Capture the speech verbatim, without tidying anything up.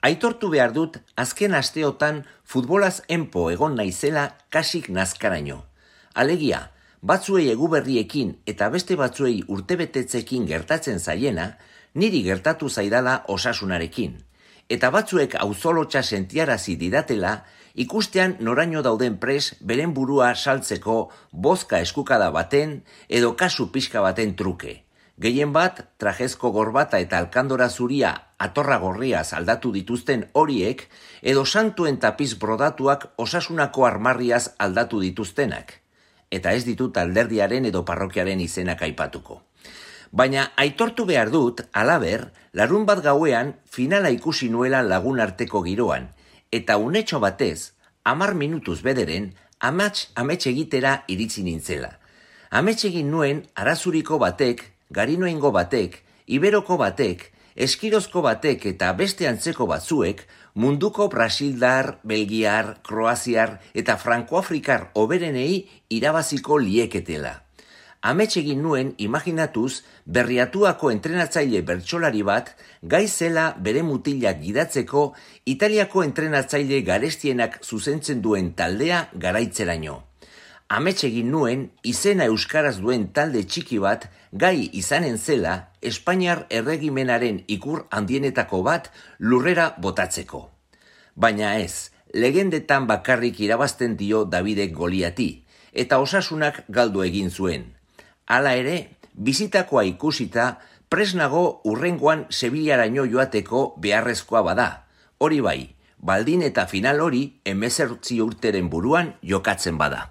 Aitortu behar dut, azken asteotan futbolaz enpo egon naizela kasik nazkaraino. Alegia, batzuei eguberriekin eta beste batzuei urtebetetzekin gertatzen zaiena, niri gertatu zaidala osasunarekin. Eta batzuek auzolotxa sentiarazi didatela, ikustean noraino dauden pres beren burua saltzeko bozka eskukada baten edo kasu pixka baten truke. Gehien bat, trajezko gorbata eta alkandora zuria atorra gorriaz aldatu dituzten horiek, edo santuen tapiz brodatuak osasunako armarriaz aldatu dituztenak. Eta ez ditut alderdiaren edo parrokiaren izenak aipatuko. Baina aitortu behar dut, halaber, larun bat gauean finala ikusi nuela lagun arteko giroan, eta unetxo batez, hamar minutuz bederen, amats amets egitera iritsi nintzela. Amets egin nuen arazuriko batek, garinoengo batek, iberoko batek, eskirozko batek eta beste antzeko batzuek munduko brasildar, belgiar, kroaziar eta frankoafrikar oberenei irabaziko lieketela. Amets egin nuen imaginatuz Berriatuako entrenatzaile bertsolari bat gai zela bere mutilak gidatzeko Italiako entrenatzaile garestienak zuzentzen duen taldea garaitzeraino. Amets egin nuen izena euskaraz duen talde txiki bat gai izanen zela Espainiar erregimenaren ikur handienetako bat lurrera botatzeko. Baina ez, legendetan bakarrik irabazten dio Davidek Goliati, eta osasunak galdu egin zuen. Hala ere, bizitakoa ikusita, presnago urrengoan Sevillaraino joateko beharrezkoa bada. Hori bai, baldin eta final hori hemezortzi urteren buruan jokatzen bada.